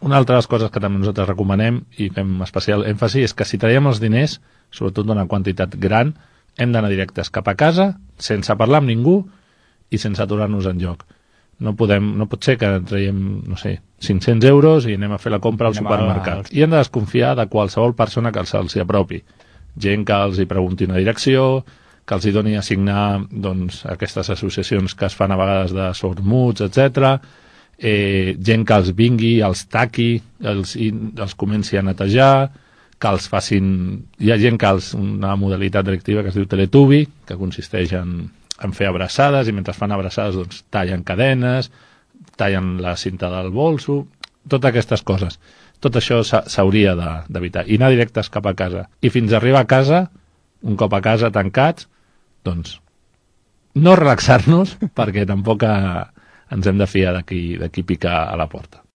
Una altra de les coses que també nosaltres recomanem i fem especial èmfasi és que si traiem els diners, sobretot d'una quantitat gran, hem d'anar directes cap a casa, sense parlar amb ningú i sense aturar-nos enlloc. No pot ser que traiem, no sé, 500 euros i anem a fer la compra al supermercat. I hem de desconfiar de qualsevol persona que se'ls apropi. Gent que els hi pregunti una direcció, que els hi doni a signar doncs, aquestes associacions que es fan a vegades de sords-muts, etc. Gent que els vingui, els taqui, els comenci a netejar, que els facin... Hi ha gent que una modalitat directiva que es diu Teletubby, que consisteix en fer abraçades, i mentre fan abraçades doncs, tallen cadenes, tallen la cinta del bolso, totes aquestes coses. Tot això s'hauria d'evitar. I anar directes cap a casa. I fins a arribar a casa, un cop a casa tancats, doncs no relaxar-nos, perquè tampoc ens hem de fiar de qui pica a la porta.